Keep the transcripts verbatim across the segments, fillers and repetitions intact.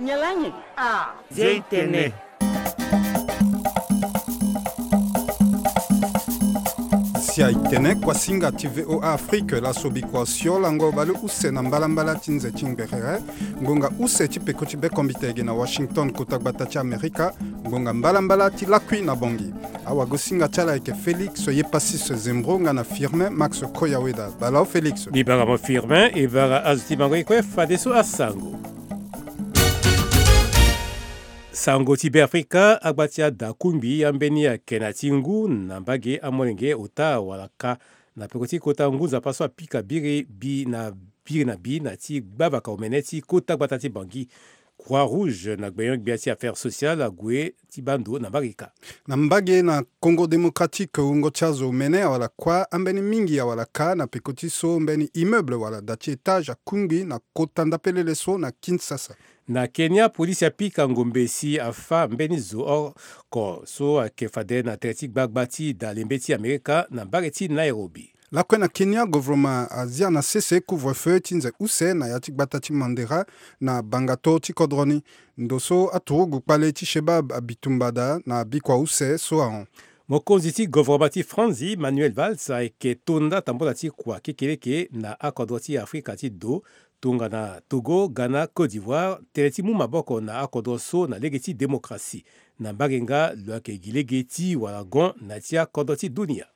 Nyalangi. Ah, Zia i tene. Zia i tene, kuasinga ti V O A Afrique, laso bikua si olango baleuse na mbalambala ti nze ti ngberere. Ngonga use ti peko ti bekombite ege na Washington, kota gbata ti Amerika. Ngonga mbalambala ti lakui na Bangui. Awagosinga ti ala ayeke Félix Yepasis Zembro nga na Firmin Max Koyaweda. Bala o Félix. Libanga mo Firmin, e bara azo ti mango e kue fadeso asango. Sango ti Beafrika, agba ti ada kungbi ambeni ayeke na ti ngu na mbage amolenge ota wala ka na peko ti kota ngu nzapa so apika biri bi na biri na bi na ti gbavaka omene ti kota gbata ti Bangui. Croix Rouge na gbenyo-gbia ti affaire sociale ague ti baa ndo na mbage ka. Na mbage na Congo Démocratique, wungo ti azo omene awala kuâ, ambeni mingi awala ka na peko ti so mbeni immeuble wala da ti étage akungbi na kota ndapelele so na Kinshasa. Na Kenya, polisi apika ngombe si afâ mbeni zo oko so ayeke fade na tere ti gbagba ti da lembe ti Amerika na mbage ti Nairobi. Lakue na Kenya, govoroma azia na sese couvre-feu ti nze use na ya ti gbata ti Mandera na bangato ti kodro ni. Ndo so aturugu kpale ti Shebab abitumba daa na bikua use so ahon. Mokonzi ti govoroma ti Franzi, Manuel Valls, ayeke to nda tambula ti kua kekeleke na akodro ti Afrika ti do, tongana Togo, Ghana, Côte d'Ivoire, tene ti mu maboko na akodro so na lege ti démocratie. Na mbage nga lo yeke gi lege ti wala gon na ti akodro ti dunia.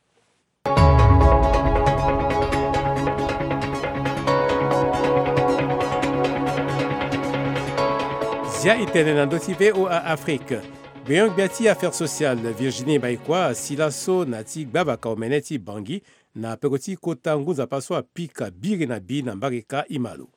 Zia i tene na ndö ti V O A Afrique. Gbenyo-gbia ti affaire sociale Virginie Baïkoi asi laso na ti gbavaka omene ti Bangui na peko ti kota ngu nzapa so apika biri na bi na mbage ka. I ma lo.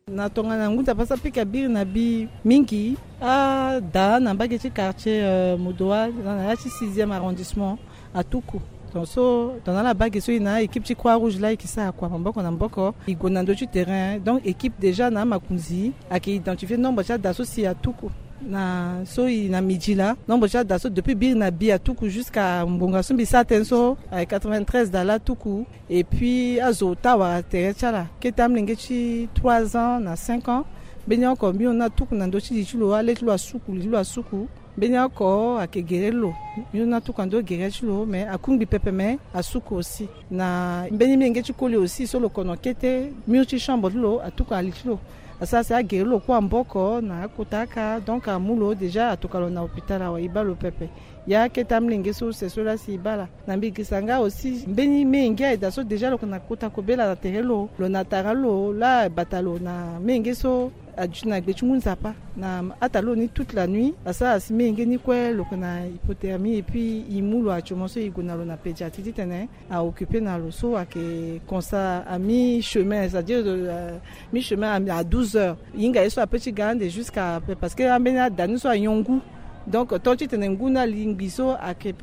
Na tongana ngu nzapa so apika biri na bi mingi, ada na mbage ti quartier, euh, Modoa, na ya ti sixième arrondissement, atuku. Donc so, tongana ala bage so e na équipe ti Croix Rouge laa e yeke sara kua maboko na maboko, e gue na ndö ti terrain. Donc équipe déjà na amakonzi ayeke identifier nombre ti ada so si atuku. Na so e na midi laa, nombre ti ada so depuis biri na bi atuku jusqu'à ngonga so mbi sara tënë so, ayeke quatre-vingt-treize da laa atuku. Et puis azo ota wara tere ti ala, kete amolenge ti trois ans na cinq ans. Mbeni oko mbi hon ni atuku na ndö ti li ti lo, ale ti lo asuku, li ti lo asuku. Mbeni oko ayeke gere ti lo, mbi hon ni atuku na ndö gere ti lo, mais akungbi pepe, mais asuku aussi. Na mbeni molenge ti koli aussi so lo kono kete mur ti chambre ti lo atuku na li ti lo. Asara si agere lo kue na maboko na akota aka, donc amu lo déjà, atoka lo na hôpital awe, e baa lo pepe. Ya kete amolenge so use so laa si e baa ala. Na mbi girisa nga aussi mbeni menge ayeke daa so déjà lo yeke na kota kobela na tere lo, lo na tara lo laa, bata lo na menge so aduti na gbe ti ngu nzapa na ata lo ni toute la nuit. Asara si menge ni kue lo yeke na hypothermie, et puis e mu lo actuellement so e gue na lo na pédiatrie titene a occuper na lo. So ayeke constat à mi-chemin, c'est-à-dire, euh, mi-chemin à, à douze heures. E hinga ye so ape ti ga ande jusqu'à, parce que ambeni ada ni so anyon ngu. Donc tant titene ngu ni alingbi so ayeke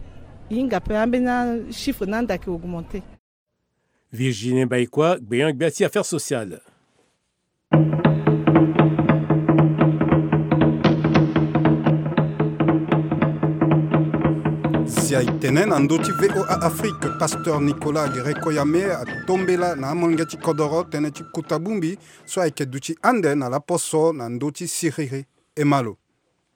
hinga ape, ambeni chiffre ni ande ayeke augmenter. Virginie Baïkoi, gbenyo-gbia ti affaire sociale. Si aye tene na ndö ti V O A Afrique, pasteur Nicolas Gerekoyame atombela na amolenge ti kodoro tënë ti kota bongbi so ayeke duti ande na laposo na ndö ti siriri. E ma lo.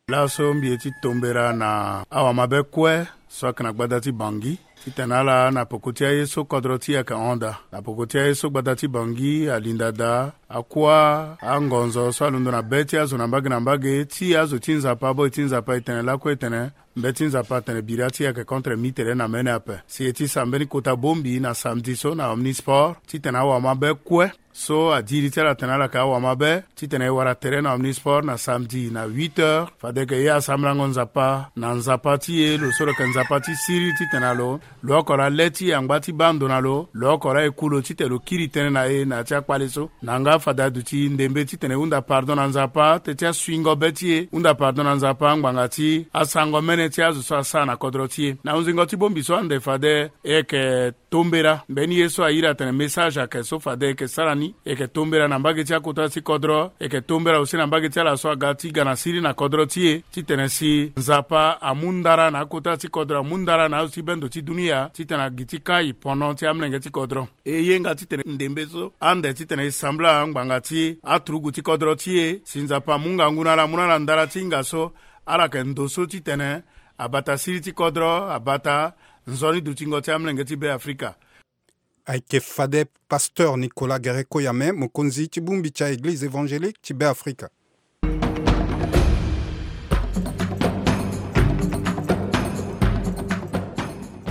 Laso mbi ye ti tombela na awamabe kue so ayeke na gbada ti Bangui, titene ala na peko ti aye so kodro ti e ayeke hon daa, na peko ti aye so gbada ti Bangui alinda daa, akua angonzo so alondo na be ti azo na mbage na mbage, ti azo ti Nzapa, aboi ti Nzapa e tene lakue e tene, mbeti Nzapa atene bira ti e ayeke contre mi tere na mene ape. Si e ye ti sara mbeni kota bongbi na samedi so na Omnisport, titene awamabe kue so adiri ti ala atene ala yeke awamabe, titene e wara tere na Omnisport na samedi na huit heures. Fade yeke e asambela ngo Nzapa na Nzapa ti e, lo so lo yeke Nzapa ti siriri, titene na lo, lo oko laa le ti e angba ti baa ndo na lo, lo oko laa e ku lo titene lo kiri tënë na e na ya ti akpale so. Na nga fade aduti ndembe titene e hunda pardon na Nzapa, teti asuingo be ti e, hunda pardon na Nzapa ngbanga ti asango mene ti azo so asara na kodro ti e. Na hunzingo ti bongbi so ande fade e yeke tombela mbeni ye so a iri atene message ayeke so fade e yeke sara ni. E yeke tombela na mbage ti akota ti kodro, e yeke tombela aussi na mbage ti ala so aga ti ga na siriri na kodro ti e, titene si Nzapa amu ndara na akota ti kodro, amu ndara na azo ti bendo ti dunia. Ngia titene agiti kai pono ti amlenge ti kodro. E yenga titene ndembe so ande titene e sambela ngbanga ti aturugu ti kodro ti e si Nzapa amu ngangu na ala amu na ala ndara ti hinga so ala yeke ndo so titene abata siriri ti kodro abata nzoni dutingo ti amlenge ti Be Afrika. Ayeke fade pasteur Nicolas Guerreco Yame, mokonzi ti bongbi ti a-Eglize évangélique ti Be Afrika.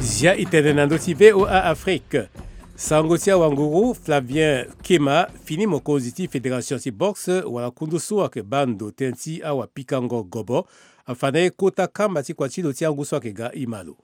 Zia e tene na ndö ti V O A Afrique. Sango ti awanguru Flavien Kema fini mokonzi ti fédération ti boxe wala kundu so ayeke baa ndo tënë ti awapikango gobo afa na ye kota kamba ti kua ti lo ti angu so ayeke ga e ma lo.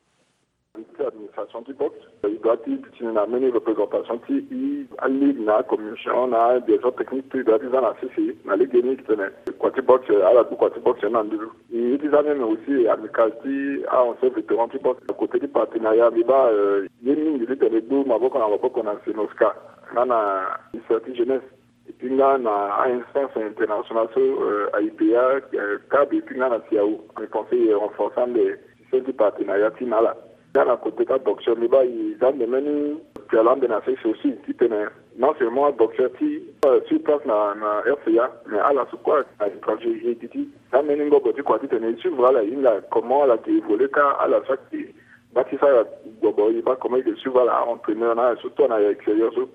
Ti administration ti boxe, e doit ti duti ni na mbeni représentation ti e, aligue na commission na direction technique, tout e doit ti za na sese na legeni titene kua ti boxe, ala du kua ti boxe na nduzu. E ye ti za même aussi amicale ti a-ancien vétéran ti boxe. Côté ti partenariat, mbi baa, euh, ye mingi titene e gbu maboko na maboko na CNOSCA nga na ministère ti jeunesse. Et puis nga na a-instance internationale so, euh, A I P A, euh, cab, et puis nga na CEDEAO. Mbi pense e renforcer ande système ti partenariat ti na ala. Nga na côté ti aboxeur, mbi baa e za ande mbeni pialo ande na sese aussi titene non seulement aboxeur ti, euh, sur place na, na R C A, mais ala so kue na étranger e gi ti za mbeni ngobo ti kua titene e suivre ala, e hinga comment ala yeke évoluer, ka ala so ayeke baa ti sara gobo, e baa comment e yeke suivre ala, a-entraîneur na ala so, tout na extérieur so.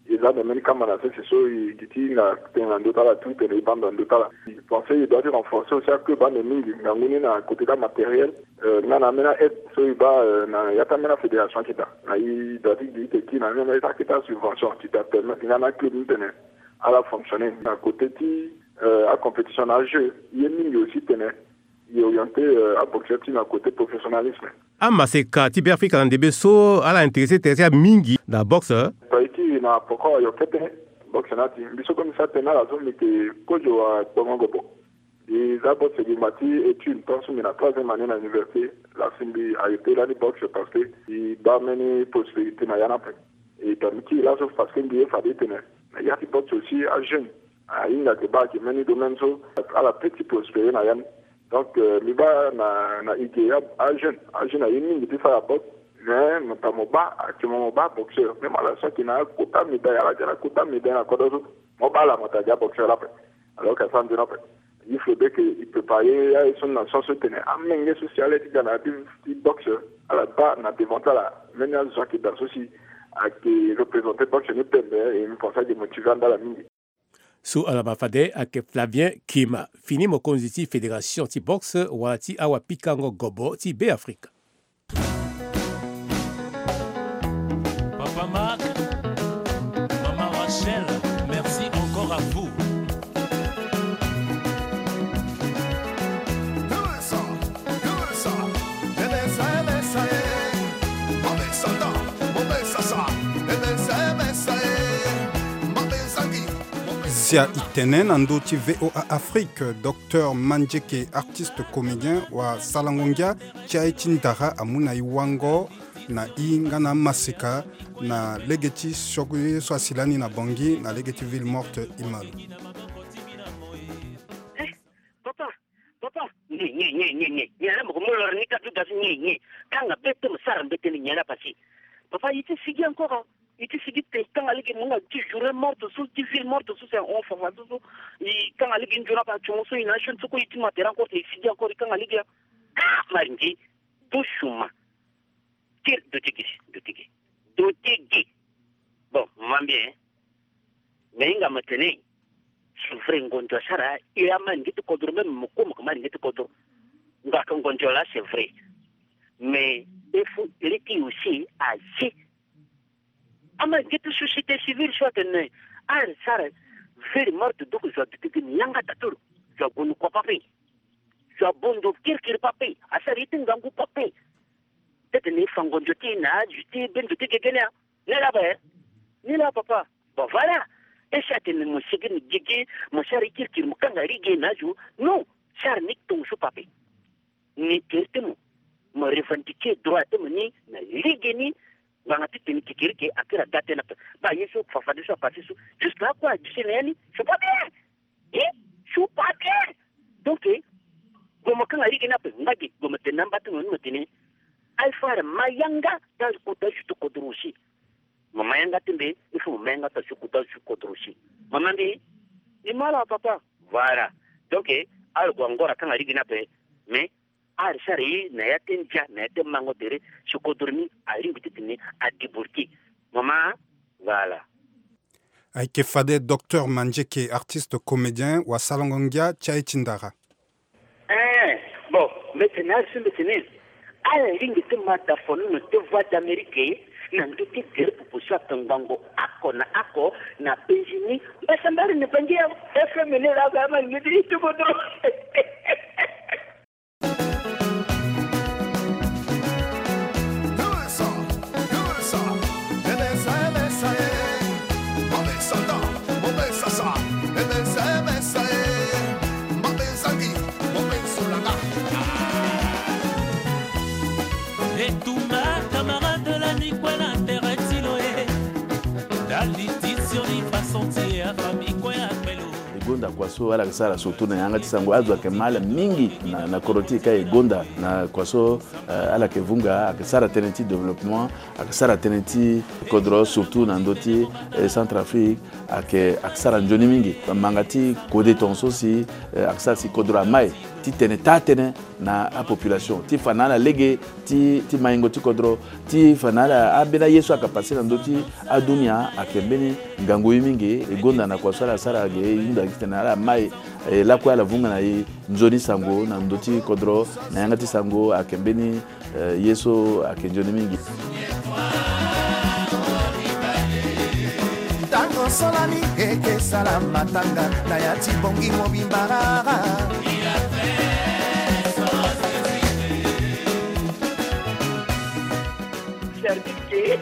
E za ande mbeni kamba na sese so e gi ti hinga tënë na ndö ti ala, tout tene e baa ndo na ndö ti ala. E pense e doit ti renforcer aussi aclub ande mingi ngangu ni na côté ti amatériel, euh, nga na ambeni a-aide so e baa, euh, na ya ti ambeni afédération ayeke daa. Na e doit ti gi ti kiri na ambeni akete asubvention ti permettre nga na aclub ni tene ala fonctionner. Na côté ti, euh, acompétition na ajeu, ye mingi aussi tene e orienter, euh, aboxeur ti e na côté professionnalisme. Amaseka ti Beafrika na ndembe so ala intéressé tere ti ala mingi na boxe. Paiti na poko ayo kete boxe na ti mbi so kue mbi sara tënë na ala so mbi yeke kozo wa kpongo gobo. Mbi za boxe gi mba ti étude tant so mbi na troisième année na université. Laa si mbi arrêté lani boxe parce que mbi baa mbeni prospérité na ya ni ape. E tonga mbi kiri laso parce que mbi ye fade tene na ya ti boxe aussi ajeune ahinga yeke baa ayeke mbeni domaine so ala peut ti prospérer na ya ni. Donc, euh, mbi baa na, na e ge a, ajeune, ajeune aye mingi ti sara boxe. Mais mo ta mo baa, actuellement mo baa boxeur. Même ala so ayeke na akota médaille, ala yeke na akota médaille na kodro so, mo baa ala mo ta gi aboxeur la ape. Alors que asara nzoni ape. Il faudrait que e préparer aye so na sens so tene amenge so si ala ye ti ga na ya ti, ti boxe, ala baa na devant ti ala mbeni azo ayeke daa so si ayeke représenter boxe ni pembe, e mbi pense ayeke motiver ande ala mingi. So ala ma fade ayeke Flavien Kima, fini mokonzi ti fédération ti boxe wala ti awapikango gobo ti Beafrika. Papa Marc, maman Rachel, merci encore à vous. Zia e tene na ndö ti V O A Afrique, docteur Mandieke, artiste comédien, wasalango ngia ti aye ti ndara amu na e wango na e nga na amaseka na lege ti sioko ye so asi lani na Bangui na lege ti Ville Morte, e ma lo. Eh, papa, papa, nye, nye, nye, nye, nye. Nyen laa mo ko mu loro ni ka tu da so, nye, nye. Kanga be te, mo sara mbete ni, nyen laa pasi. Papa, e ti sigi encore, hein. E ti sigi te, kanga lege mo nga ti journée morte so, ti Ville Morte so, c'est un fond, fond, so, so. E kanga lege nzoni ape, atio mo so, e na jeune so kue, e ti ma tere encore te, e sigi encore, e kanga lege, ah, maringi. Dosuma. Kiri dotigi, dotigi. Dotigi. Bon, mo va mbi, hein. Mais hinga mo tene, c'est vrai, ngonzo asara, e amalingi ti kodro, même mo kue mo yeke malingi ti kodro. Nga ka ngonzo laa, c'est vrai. Mais il faut arrêter aussi, aye. Amalingi ti société civile so atene, ala sara Ville Morte, donc zo aduti gi ni yanga tatolo. Zo ague ni kua pape. Zo abon ndo kirikiri pape. Asara ye ti ngangu pape. Tëtene e fa ngonzo ti e na azo ti bendo ti gege ni a. Ni laa ape. Ni laa papa. Bon, voilà. E si atene mo sigi ni gigi, mo sara ye kirikiri, mo kanga lege na azo. Non. Sara ni tongaso pape. Ni tere ti mo, mo revendiquer droit ti mo ni na lege ni. Ngbanga ti tene kekereke akiri aga tënë ape. Baa ye so fafade so apase so. Jusque là kue aduti na ya ni. C'est pas bien. Eh, c'est pas bien. Donc, eh, gue mo kanga lege ni ape. Nga ge, gue mo tene na amba ti mo ni mo tene. Alpha, ma yanga ta kota ju ti kodro aussi. Mama yanga ti mbi, il faut mama yanga ta ju kota ju kodro aussi. Mama mbi, ni mara papa. Voilà. Donc, eh, ala gue angora kanga ligi ni ape. Mais ala sara ye na ya ti ndia, na ya ti mango tere, si kodro ni alingbi ti tene adébloquer. Mama, voilà. Ayeke fade docteur Mandieke, artiste comédien, wasalongo ngia ti aye ti ndara. Eh, bon, mbi tene ala so mbi tene ala lingbi ti ma da fono na te Voix d'Amérique na ndö ti gere popo so ape ngbongo oko na oko na penzi ni. Mbasambara ni bangi ya F M ni la ga ma ni ti ti kodro. Etumba camarade la ni kue na tere ti lo e. Ndali ti sioni façon ti e afami kue akpelo. E gonda kua so ala yeke sara surtout na yanga ti sango, azo ayeke ma ala mingi na, na kodro ti e ka e gonda na kua so, eh, ala yeke vunga, ayeke sara tënë ti développement, ayeke sara tënë ti kodro surtout na ndö ti, eh, Centrafrique, ayeke, ayeke sara nzoni mingi. Manga ti kode tongaso si, eh, ayeke sara si kodro amai ti tene taa tënë na apopulation ti fa na ala lege ti, ti maingo ti kodro, ti fa na ala ambeni aye so ayeke pase na ndö ti adunia ayeke mbeni ngangu ye mingi. E gonda na kua so ala sara ge e hunda gi titene ala mai, eh, lakue ala vunga na e nzoni sango na ndö ti kodro na yanga ti sango ayeke mbeni, eh, ye so ayeke nzoni mingi. Ntango solani eke sala matanga na ya ti bongi mobimba rara. Service ke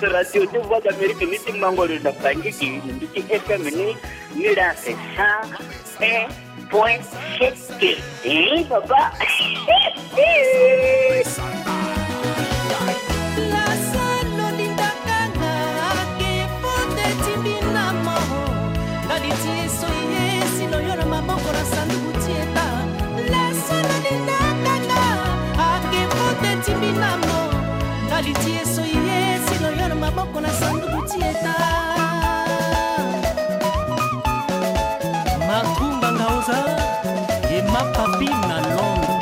radio ti Voix d'Amérique ni ti mango lo na bangi ke ni ti F M ni, ni la c'est cent un point sept. Eh, papa. Lasano lindakanga ake pote timbina mo. Ndali ti eso ye sino yo na maboko na sanduku ti eta. Lasano lindakanga ake pote timbina mo. Ndali ti eso ye sino yo na maboko na sanduku ti eta. Makumba Ngaoza, e ma papi na Londres.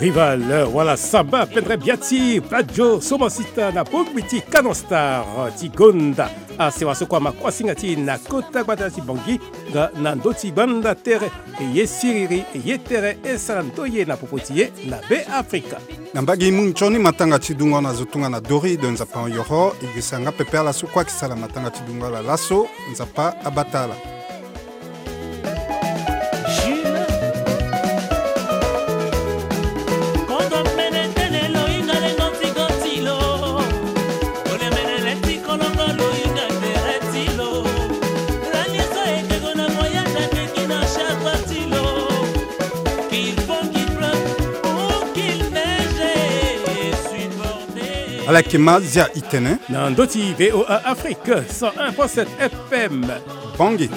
Rival, wala samba, pendre biati, Badio, Somasita, na bongbi ti Canon Star, ti gonda. Asewa so kua ma kuasinga ti na kota gbata ti Bangui, nga na ndö ti gbanda tere, e ye siriri, e ye tere, e sara ndoye na popo ti ye, na Beafrika. Na mbage e mu nzoni matanga ti dungo na zo tongana Dori de Nzapa ayoro, e gesa nga pepe ala so kue ayeke sala matanga ti dungo ala laso, Nzapa abata ala. Ala yeke ma zia itene na ndö ti V O A Afrique cent un point sept F M. Bangui.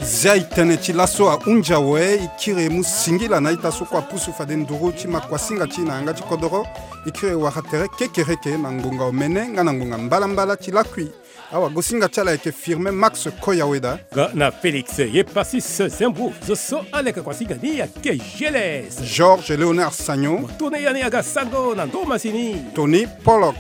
Zia itene ti laso ahunzi awe, e kiri e mu singila na a-ita so kue apusu fade nduru ti ma kuasinga ti e na yanga ti kodoro. E kiri e wara tere kekereke na ngbonga omene nga na ngbonga mbalambala ti lakui. Awagosinga ti ala ayeke Firmin Max Koyaweda. Nga na Félix Yepasis Zembou, zo so ala yeke kuasinga ni ayeke Geles. Georges Léonard Sagnon. Mo tene yani aga sango na ndo masini. Tony Pollock.